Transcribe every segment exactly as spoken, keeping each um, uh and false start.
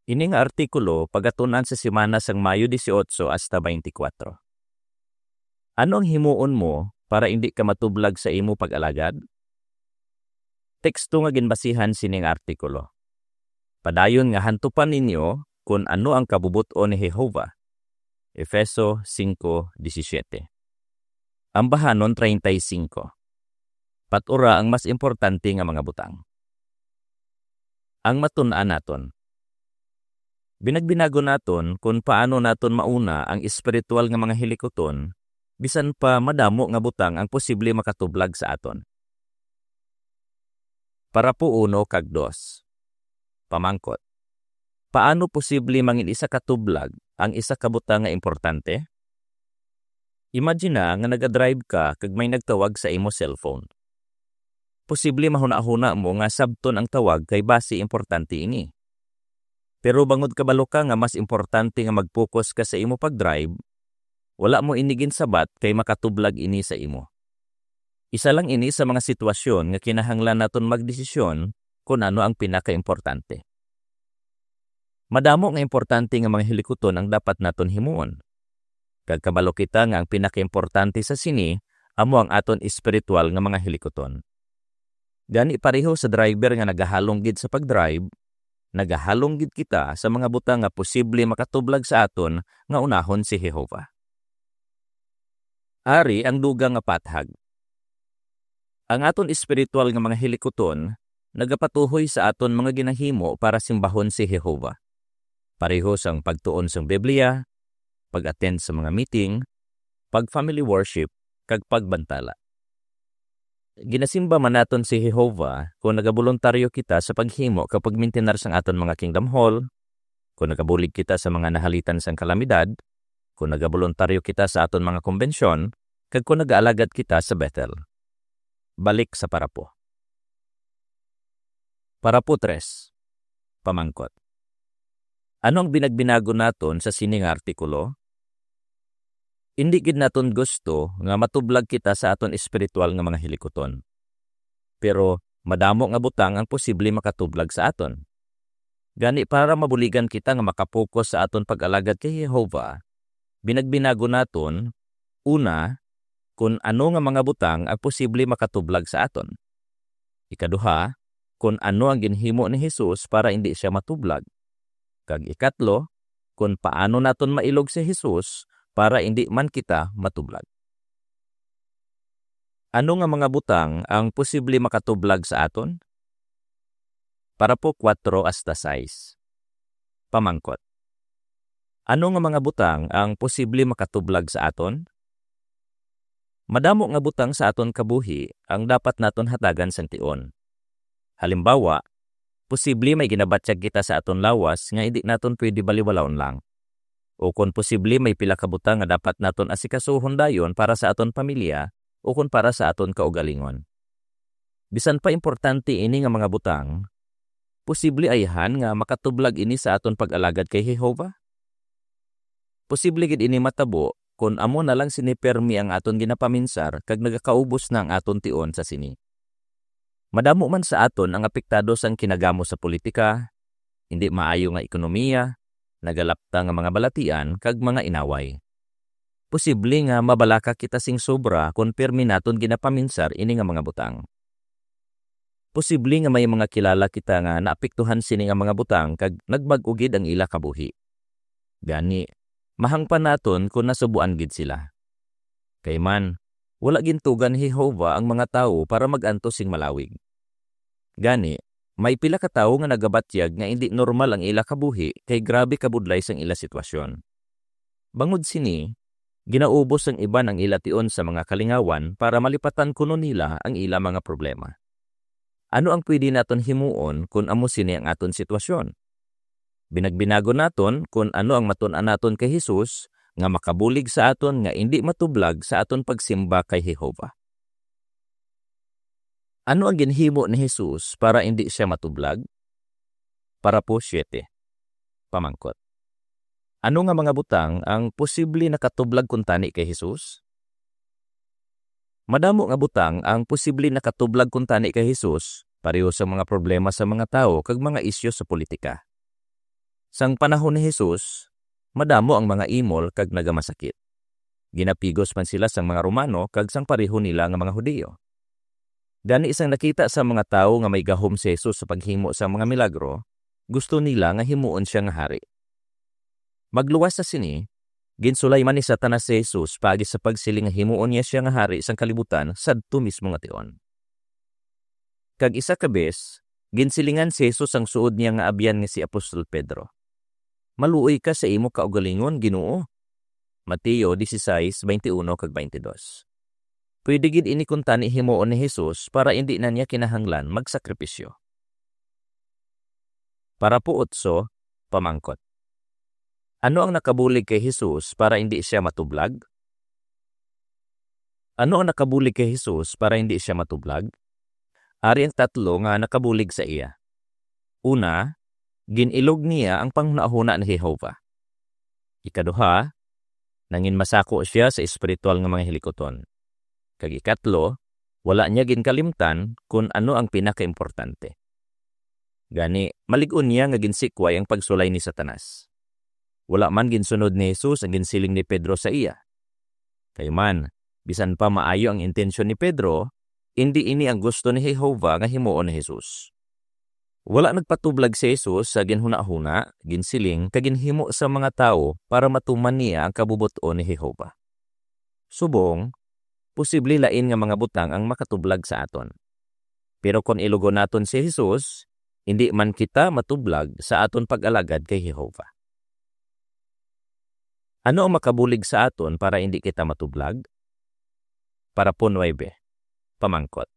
Ini nga artikulo pagatun-an sa semana sang Mayo dieciocho hasta twenty-four. Ano ang himuon mo para indi ka matublag sa imo pag-alagad? Teksto nga ginbasihan sining artikulo. Padayon nga hantupan ninyo kon ano ang kabubot-on ni Jehovah. Efeso singko disisiete. Ambahanon treinta y cinco. Pat-ura ang mas importante nga mga butang. Ang matun-an naton. Binagbinagon naton kon paano naton mauna ang espiritual nga mga hilikuton, bisan pa madamo nga butang ang posible makatublag sa aton. Parapo uno kag dos. Pamangkot. Paano posible mangin isa ka tublag ang isa ka butang nga importante? Imagina nga nagadrive ka kag may nagtawag sa imo cellphone. Posible mahunahuna mo nga sabton ang tawag kay basi importante ini. Pero bangod kabalo ka nga mas importante nga mag-focus ka sa imo pag-drive, wala mo ini ginsabat kay makatublag ini sa imo. Isa lang ini sa mga sitwasyon nga kinahanglan naton magdesisyon kon ano ang pinakaimportante. Madamo nga importante nga mga hilikuton ang dapat naton himuon. Kag kabalo kita nga ang pinakaimportante sa sini amo ang aton espiritual nga mga hilikuton. Gani, pareho sa driver nga nagahalong gid sa pag-drive, nagahalong gid kita sa mga butang nga posible makatublag sa aton nga unahon si Jehovah. Ari ang dugang nga pathag. Ang aton espiritual nga mga hilikuton nagapatuhoy sa aton mga ginahimo para simbahon si Jehovah, pareho sang pagtuon sang Biblia, pag-attend sa mga meeting, pag-family worship, kag pagbantala. Ginasimba man naton si Jehovah kon nagaboluntaryo kita sa paghimo kag pagmintinar sang aton mga Kingdom Hall, kon nagabulig kita sa mga nahalitan sang kalamidad, kon nagaboluntaryo kita sa aton mga kumbensyon, kag kon nagaalagad kita sa Bethel. Balik sa parapo. Parapo tres. Pamangkot. Ano ang binagbinagon naton sa sini nga artikulo? Indi gid naton gusto nga matublag kita sa aton espiritual nga mga hilikuton. Pero madamo nga butang ang posible makatublag sa aton. Gani, para mabuligan kita nga makapokus sa aton pag-alagad kay Jehovah, binagbinagon naton, una, kon ano nga mga butang ang posible makatublag sa aton. Ikaduha, kon ano ang ginhimo ni Jesus para indi sia matublag. Kag ikatlo, kon paano naton mailog si Jesus para indi man kita matublag. Ano nga mga butang ang posible makatublag sa aton? Parapo kuwatro hasta sais. Pamangkot. Ano nga mga butang ang posible makatublag sa aton? Madamo nga butang sa aton kabuhi ang dapat naton hatagan sang tion. Halimbawa, posible may ginabatyag kita sa aton lawas nga indi naton pwede baliwalaon lang. Ukon posible may pila ka butang nga dapat naton asikasuhon dayon para sa aton pamilya ukon para sa aton kaugalingon. Bisan pa importante ini nga mga butang, posible ayhan nga makatublag ini sa aton pag-alagad kay Jehovah? Posible gid ini matabo kon amo na lang sini pirmi ang aton ginapaminsar kag nagakaubos na ang aton tion sa sini. Madamo man sa aton ang apektado sang kinagamo sa politika, hindi maayo nga ekonomiya, nagalapta nga mga balatian, kag mga inaway. Posible nga mabalaka kita sing sobra kon pirmi naton ginapaminsar ini nga mga butang. Posible nga may mga kilala kita nga naapektuhan sini nga mga butang kag nagbag-o gid ang ila kabuhi. Gani, mahangpan naton kon nasubuan gid sila. Kay man, wala gintuga ni Jehovah ang mga tawo para mag-antos sing malawig. Gani, may pila ka tawo nga nagabatyag nga indi normal ang ila kabuhi kay grabe kabudlay sang ila sitwasyon. Bangod sini, ginaubos sang iban ang ila tion sa mga kalingawan para malipatan kuno nila ang ila mga problema. Ano ang pwede naton himuon kon amo sini ang aton sitwasyon? Binagbinagon naton kon ano ang matun-an naton kay Jesus nga makabulig sa aton nga indi matublag sa aton pagsimba kay Jehovah. Ano ang ginhimo ni Jesus para indi sia matublag? Parapo siete. Pamangkot. Ano nga mga butang ang posible nakatublag kuntani kay Jesus? Madamo nga butang ang posible nakatublag kuntani kay Jesus, pareho sa mga problema sa mga tawo kag mga isyu sa politika. Sang panahon ni Jesus, madamo ang mga imol kag nagamasakit. Ginapigos man sila sang mga Romano kag sang pareho nila nga mga Hudiyo. Gani, sang nakita sang mga tawo nga may gahom si Jesus sa paghimo sang mga milagro, gusto nila nga himuon sia nga hari. Magluwas sa sini, ginsulay man ni Satanas si Jesus paagi sa pagsiling nga himuon niya sia nga hari sang kalibutan sadto mismo nga tion. Kag isa ka bes, ginsilingan si Jesus ang suod niya nga abyan nga si Apostol Pedro, "Maluoy ka sa imo kaugalingon, Ginoo." Mateo dieciséis, veintiuno kag veintidós. Pwede gid ini kuntani himuon ni Jesus para indi na niya kinahanglan magsakripisyo. Parapo otso, pamangkot. Ano ang nakabulig kay Jesus para indi sia matublag? Ano ang nakabulig kay Jesus para indi sia matublag? Ari ang tatlo nga nakabulig sa iya. Una, gin-ilog niya ang panghunahuna ni Jehovah. Ikaduha, nangin masako sia sa espiritual nga mga hilikuton. Kag ikatlo, wala niya ginkalimtan kon ano ang pinakaimportante. Gani, malig-on niya nga ginsikway ang pagsulay ni Satanas. Wala man ginsunod ni Jesus ang ginsiling ni Pedro sa iya. Kay man, bisan pa maayo ang intensyon ni Pedro, indi ini ang gusto ni Jehovah nga himuon ni Jesus. Wala nagpatublag si Jesus sa ginhunahuna, ginsiling, kag ginhimo sa mga tawo para matuman niya ang kabubot-on ni Jehovah. Subong, posible lain nga mga butang ang makatublag sa aton. Pero kon ilugon naton si Jesus, indi man kita matublag sa aton pag-alagad kay Jehovah. Ano ang makabulig sa aton para indi kita matublag? Parapo nuebe, pamangkot.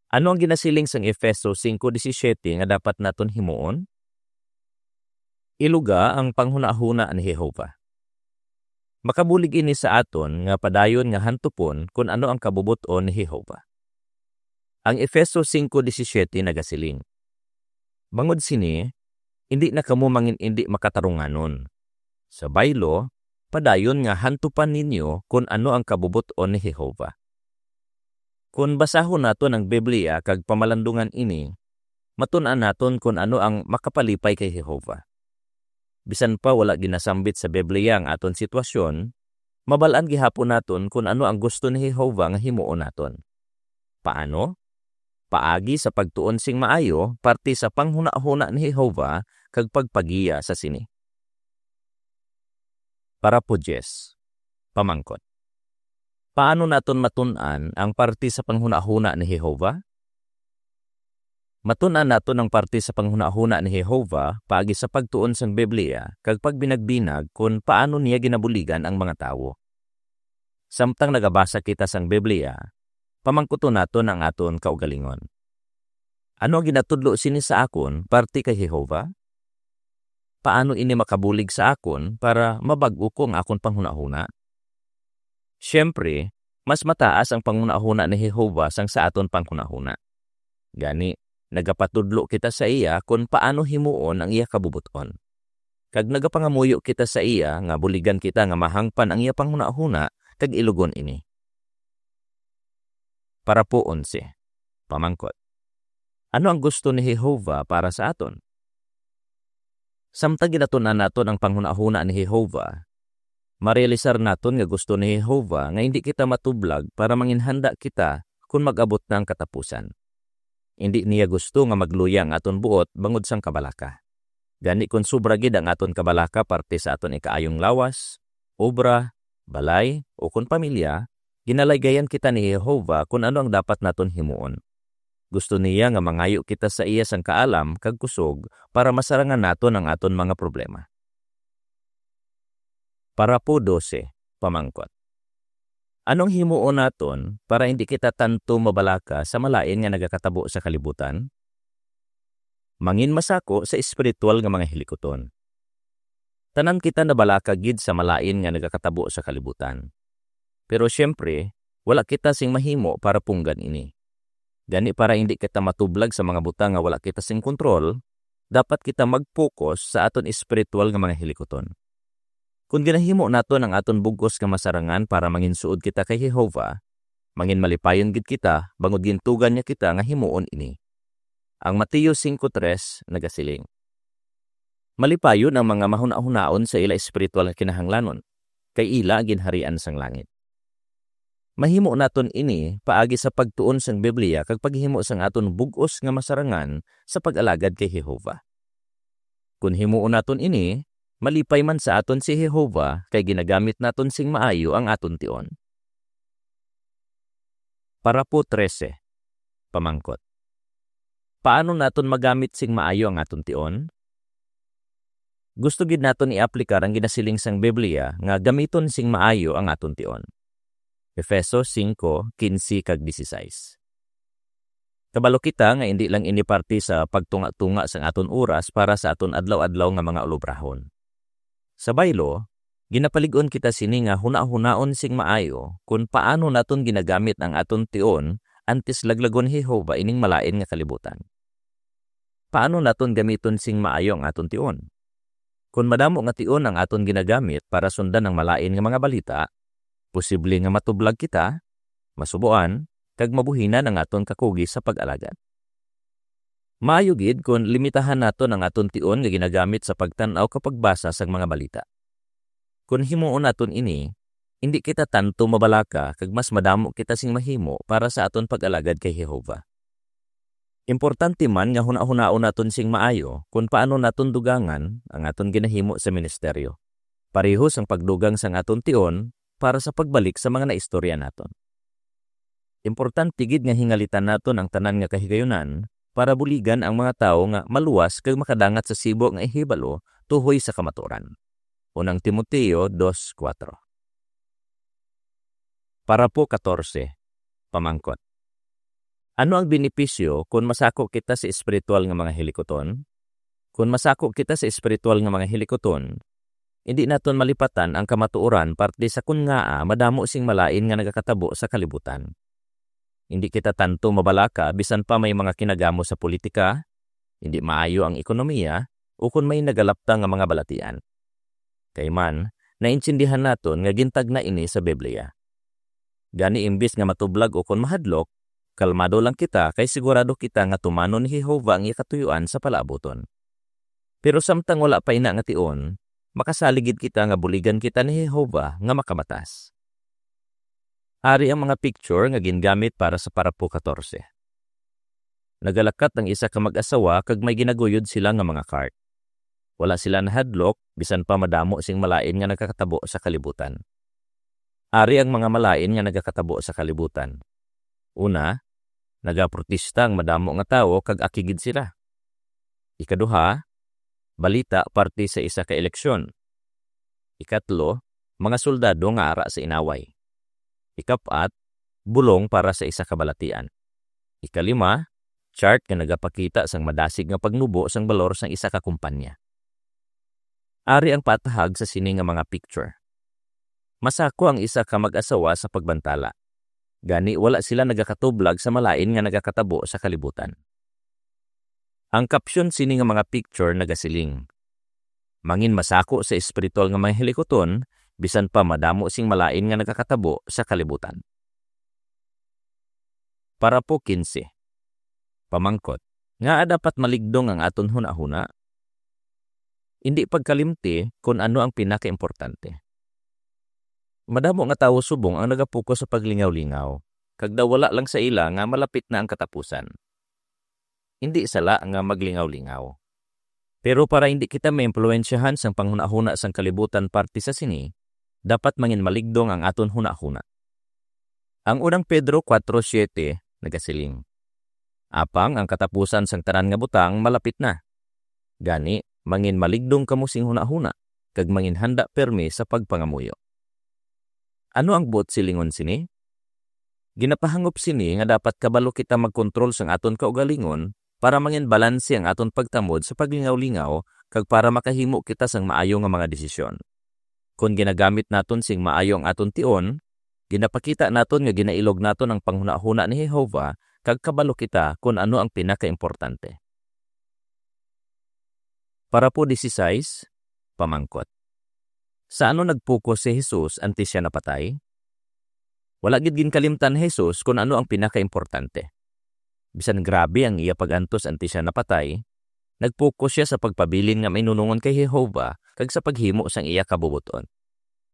Ano ang ginasiling sang Efeso singko disisiete nga dapat naton himuon? Iluga ang panghunahuna ni Jehovah. Makabulig ini sa aton nga padayon nga hantupon kon ano ang kabubot-on ni Jehovah. Ang Efeso singko disisiete nagasiling, "Bangod sini, indi na kamo mangin-indi makatarunganon. Sa baylo, padayon nga hantupan ninyo kon ano ang kabubot-on ni Jehovah." Kon basahon naton ang Biblia kag pamalandungan ini, matun-an naton kon ano ang makapalipay kay Jehovah. Bisan pa wala ginasambit sa Biblia ang aton sitwasyon, mabal-an gihapon naton kon ano ang gusto ni Jehovah nga himuon naton. Paano? Paagi sa pagtuon sing maayo parte sa panghunahuna ni Jehovah kag pagpagiya sa sini. Parapo diyes, pamangkot. Paano naton matun-an ang parte sa panghunahuna ni Jehovah? Matun-an naton ang parte sa panghunahuna ni Jehovah paagi sa pagtuon sang Biblia kag pagbinagbinag kon paano niya ginabuligan ang mga tawo. Samtang nagabasa kita sang Biblia, pamangkuton naton ang aton kaugalingon, "Ano ang ginatudlo sini sa akon parte kay Jehovah? Paano ini makabulig sa akon para mabag-o ko ang akon panghunahuna?" Siyempre, mas mataas ang panghunahuna ni Jehovah sang sa aton panghunahuna. Gani, nagapatudlo kita sa iya kon paano himuon ang iya kabubot-on. Kag nagapangamuyo kita sa iya nga buligan kita nga mahangpan ang iya panghunahuna kag ilugon ini. Parapo onse, pamangkot. Ano ang gusto ni Jehovah para sa aton? Samtang ginatun-an naton ang panghunahuna ni Jehovah, marealisar naton nga gusto ni Jehovah nga indi kita matublag para manginhanda kita kon mag-abot na ang katapusan. Indi niya gusto nga magluya ang aton buot bangod sang kabalaka. Gani, kon sobra gid ang aton kabalaka parte sa aton ikaayong lawas, obra, balay, o kon pamilya, ginalaygayan kita ni Jehovah kon ano ang dapat naton himuon. Gusto niya nga mangayo kita sa iya sang kaalam kag kusog para masarangan naton ang aton mga problema. Parapo dose, pamangkot. Anong himuon naton para indi kita tanto mabalaka sa malain nga nagakatabo sa kalibutan? Manginmasako sa espiritual nga mga hilikuton. Tanan kita nabalaka gid sa malain nga nagakatabo sa kalibutan. Pero siyempre, wala kita sing mahimo para punggan ini. Gani, para indi kita matublag sa mga butang nga wala kita sing kontrol, dapat kita mag-focus sa aton espiritual nga mga hilikuton. Kon ginahimo naton ang aton bug-os nga masarangan para manginsuod kita kay Jehovah, manginmalipayon gid kita bangod gintugan niya kita nga himuon ini. Ang Mateo singko tres nagasiling, Malipayon ang mga mahunahunaon sa ila espiritual nga kinahanglanon, kay ila ang ginharian sang langit. Mahimo naton ini paagi sa pagtuon sang Biblia kag paghimo sang aton bug-os nga masarangan sa pag-alagad kay Jehovah. Kon himuon naton ini, malipay man sa aton si Jehovah kay ginagamit naton sing maayo ang aton tion. Parapo trese. Pamangkot. Paano naton magamit sing maayo ang aton tion? Gusto gid naton i-aplikar ang ginasiling sang Biblia nga gamiton sing maayo ang aton tion. Efeso singko, kinse kag disisais. Kabalo kita nga indi lang ini parte sa pagtunga-tunga sang aton oras para sa aton adlaw-adlaw nga mga ulobrahon. Sa baylo, ginapalig-on kita sini nga hunahunaon sing maayo kon paano naton ginagamit ang aton tion antes laglagon ni Jehovah ining malain nga kalibutan. Paano naton gamiton sing maayo ang aton tion? Kon madamo nga tion ang aton ginagamit para sundan ang malain nga mga balita, posible nga matublag kita, masubuan, kag mabuhinan ang aton kakugi sa pag-alagad. Maayo gid kon limitahan naton ang aton tion nga ginagamit sa pagtan-aw kag pagbasa sang mga balita. Kon himuon naton ini, indi kita tanto mabalaka kag mas madamo kita sing mahimo para sa aton pag-alagad kay Jehovah. Importante man nga hunahunaon naton sing maayo kon paano naton dugangan ang aton ginahimo sa ministeryo, pareho sang pagdugang sang aton tion para sa pagbalik sa mga naistorya naton. Importante gid nga hingalitan naton ang tanan nga kahigayunan para buligan ang mga tawo nga maluwas kag makadangat sa sibo nga ihibalo tuhoy sa kamatuoran. Unang Timoteo dos kuatro. Parapo katorse. Pamangkot. Ano ang benepisyo kon masako kita sa espiritual nga mga hilikuton? Kon masako kita sa espiritual nga mga hilikuton, indi naton malipatan ang kamatuoran parte sa kon ngaa madamo sing malain nga nagakatabo sa kalibutan. Indi kita tanto mabalaka bisan pa may mga kinagamo sa politika, indi maayo ang ekonomiya, ukon may nagalapta nga mga balatian. Kay man, naintindihan naton nga gintagna ini sa Biblia. Gani, imbis nga matublag ukon mahadlok, kalmado lang kita kay sigurado kita nga tumanon ni Jehovah ang iya katuyoan sa palaabuton. Pero samtang wala pa ina nga tion, makasalig gid kita nga buligan kita ni Jehovah nga makamatas. Ari ang mga picture nga gingamit para sa parapo katorse. Nagalakat ang isa ka mag-asawa kag may ginaguyod sila nga mga cart. Wala sila nahadlok, bisan pa madamo sing malain nga nagakatabo sa kalibutan. Ari ang mga malain nga nagakatabo sa kalibutan. Una, nagaprotesta ang madamo nga tawo kag akigid sila. Ikaduha, balita parte sa isa ka eleksyon. Ikatlo, mga soldado nga ara sa inaway. Ikap-at, bulong para sa isa ka balatian. Ikalima, chart nga nagapakita sang madasig nga pagnubo sang balor sang isa ka kumpanya. Ari ang patahag sa sini nga mga picture. Masako ang isa ka mag-asawa sa pagbantala. Gani, wala sila nagakatublag sa malain nga nagakatabo sa kalibutan. Ang caption sini nga mga picture nagasiling, "Mangin masako sa espiritual nga mga hilikuton, bisan pa madamo sing malain nga nagakatabo sa kalibutan." Parapo kinse. Pamangkot, ngaa dapat maligdong ang aton hunahuna? Indi pagkalimti kon ano ang pinakaimportante. Madamo nga tawo subong ang nagapuko sa paglingaw-lingaw, kag daw wala lang sa ila nga malapit na ang katapusan. Indi sala nga maglingaw-lingaw. Pero para indi kita maimpluwensyahan sang panghunahuna sang kalibutan parte sa sini, dapat mangin maligdong ang aton hunahuna. Ang unang Pedro kuwatro siete nagasiling, "Apang ang katapusan sang tanan nga butang malapit na. Gani, mangin maligdong kamo sing hunahuna, kag mangin handa pirme sa pagpangamuyo." Ano ang buot silingon sini? Ginapahangop sini nga dapat kabalo kita magkontrol sang aton kaugalingon para mangin balanse ang aton pagtamod sa paglingaw-lingaw kag para makahimo kita sang maayo nga mga desisyon. Kon ginagamit naton sing maayo ang aton tion, ginapakita naton nga ginailog naton ang panghunahuna ni Jehovah kag kabalo kita kon ano ang pinakaimportante. Parapo disisais, pamangkot. Sa ano nagpuko si Jesus antes sia napatay? Wala gid ginkalimtan ni Jesus kon ano ang pinakaimportante. Bisan grabe ang iya pag-antos antes sia napatay, nagpokus sia sa pagpabilin nga mainunongon kay Jehovah kag sa paghimo sang iya kabubot-on.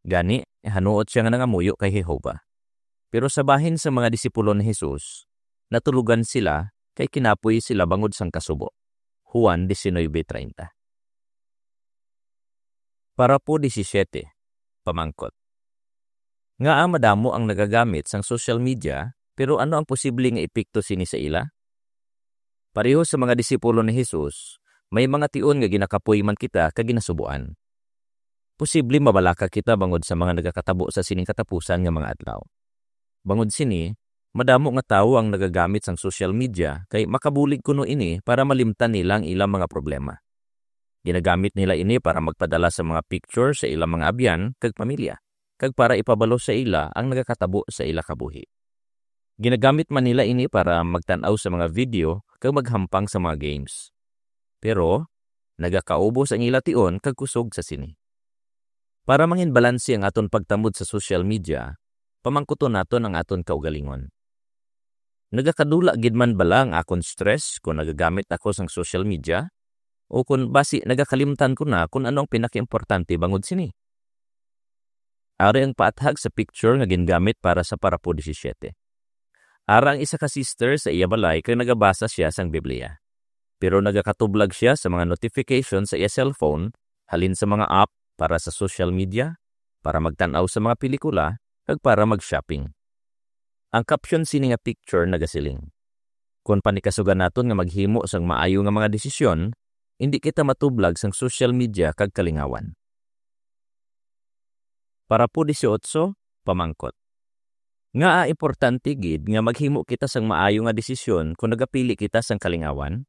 Gani, hanuot sia nga nangamuyo kay Jehovah. Pero sa bahin sa mga disipulo ni Jesus, natulogan sila kay kinapoy sila bangod sang kasubo. Juan diecinuebe treinta. Parapo disisiete, pamangkot. Ngaa madamo ang nagagamit sang social media, pero ano ang posible nga epekto sini sa ila? Pareho sa mga disipulo ni Jesus, may mga tion nga ginakapoy man kita kag ginasubuan. Posible mabalaka kita bangod sa mga nagakatabo sa sining katapusan nga mga adlaw. Bangod sini, madamo nga tawo ang nagagamit sang social media kay makabulig kuno ini para malimtan nila ang ilang mga problema. Ginagamit nila ini para magpadala sa mga picture sa ilang mga abyan kag pamilya, kag para ipabalo sa ila ang nagakatabo sa ila kabuhi. Ginagamit man nila ini para magtan-aw sa mga video kag maghampang sa mga games. Pero, nagakaubos ang ila tion kag kusog sa sini. Para mangin balanse ang aton pagtamod sa social media, pamangkuton naton ang aton kaugalingon. Nagakadula gid man bala ang akon stress kon nagagamit ako sang social media? O kon basi nagakalimtan ko na kon ano ang pinakaimportante bangod sini? Ari ang paathag sa picture nga gingamit para sa parapo disisiete. Ara ang isa ka sister sa iya balay kag nagabasa sia sang Biblia. Pero nagakatublag sia sa mga notification sa iya cellphone, halin sa mga app para sa social media, para magtan-aw sa mga pelikula, kag para mag-shopping. Ang caption sini nga picture nagasiling, "Kon panikasugan naton nga maghimo sang maayo nga mga desisyon, indi kita matublag sang social media kag kalingawan." Parapo dieciocho, pamangkot. Ngaa importante gid nga maghimo kita sang maayo nga desisyon kon nagapili kita sang kalingawan?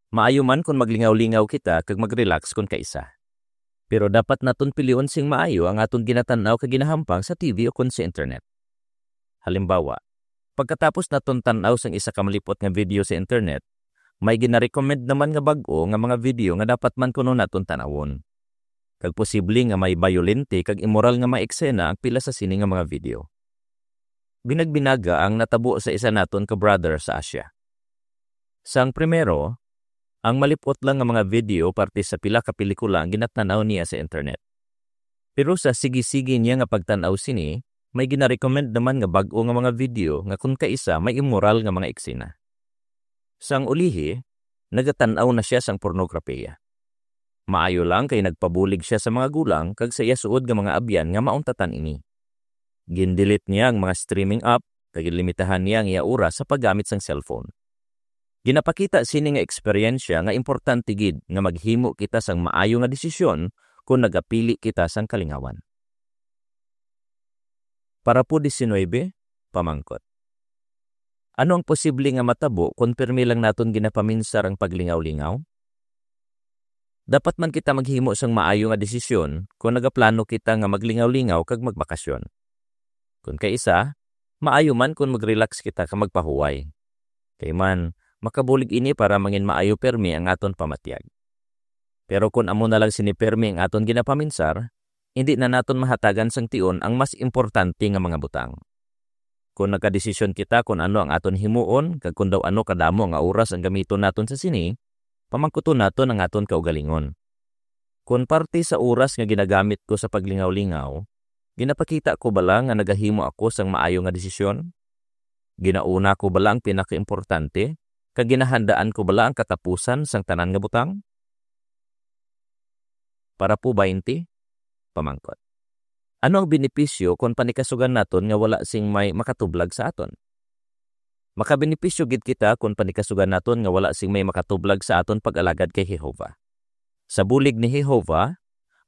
Maayo man kon maglingaw-lingaw kita kag mag-relax kon kaisa. Pero dapat naton pilion sing maayo ang aton ginatan-aw kag ginahampang sa T V ukon sa internet. Halimbawa, pagkatapos naton tan-aw sang isa ka malipot nga video sa internet, may ginarecommend naman nga bag-o nga mga video nga dapat man kuno naton tan-awon. Kag posible nga may bayolente kag imoral nga mga eksena ang pila sa sini nga mga video. Binagbinaga ang natabo sa isa naton ka brother sa Asia. Sang primero, ang malipot lang nga mga video parte sa pila ka pelikula ang ginatan-aw niya sa internet. Pero sa sige-sige niya nga pagtan-aw sini, may ginarecommend naman nga bag-o nga mga video nga kon kaisa may immoral nga mga eksena. Sang ulihi, nagatan-aw na sia sang pornograpiya. Maayo lang kay nagpabulig sia sa mga gulang kag sa iya suod nga mga abyan nga mauntatan ini. Gin-delete niya ang mga streaming app kag ginlimitahan niya ang iya oras sa paggamit sang cellphone. Ginapakita sini nga eksperyensya nga importante gid nga maghimo kita sang maayo nga desisyon kon nagapili kita sang kalingawan. Parapo diecinuebe, pamangkot. Ano ang posible nga matabo kon pirmi lang naton ginapaminsar ang paglingaw-lingaw? Dapat man kita maghimo sang maayo nga desisyon kon nagaplano kita nga maglingaw-lingaw kag magbakasyon. Kon kaisa, maayo man kon mag-relax kita kag magpahuway. Kay man, makabulig ini para mangin maayo pirmi ang aton pamatyag. Pero kon amo na lang sini pirmi ang aton ginapaminsar, indi na naton mahatagan sang tion ang mas importante nga mga butang. Kon nagkadesisyon kita kon ano ang aton himuon kag kon daw ano kadamo nga oras ang gamiton naton sa sini, pamangkuton naton ang aton kaugalingon. Kon parte sa oras nga ginagamit ko sa paglingaw-lingaw, ginapakita ko bala nga nagahimo ako sang maayo nga desisyon? Ginauna ko bala ang pinakaimportante, kag ginahandaan ko bala ang katapusan sang tanan nga butang? Parapo baynte, pamangkot. Ano ang benepisyo kon panikasugan naton nga wala sing may makatublag sa aton? Makabenepisyo gid kita kon panikasugan naton nga wala sing may makatublag sa aton pag-alagad kay Jehovah. Sa bulig ni Jehovah,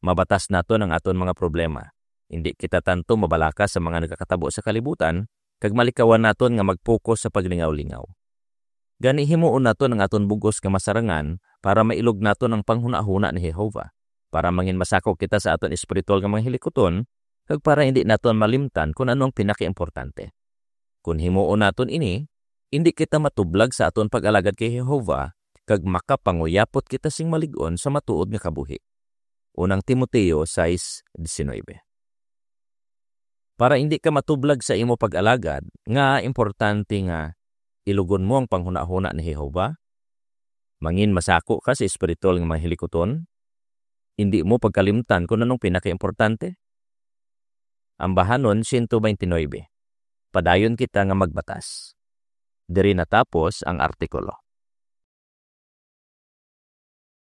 mabatas naton ang aton mga problema. Indi kita tanto mabalaka sa mga nagakatabo sa kalibutan, kag malikawan naton nga mag-focus sa paglingaw-lingaw. Gani, himuon naton ang aton bug-os nga masarangan para mailog naton ang panghunahuna ni Jehovah, para mangin masakop kita sa aton espiritual nga mga hilikuton, kag para indi naton malimtan kon ano ang pinakaimportante. Kon himuon naton ini, indi kita matublag sa aton pag-alagad kay Jehovah, kag makapanguyapot kita sing malig-on sa matuod nga kabuhi. Unang Timoteo sais diecinuebe. Para indi ka matublag sa imo pag-alagad, ngaa importante nga ilugon mo ang panghunahuna ni Jehovah? Mangin masako ka sa espiritual nga mga hilikuton, indi mo pagkalimtan kung anong pinakaimportante. Ambahanon siyento twenty-nine. Padayon kita nga magbatas. Diri natapos ang artikulo.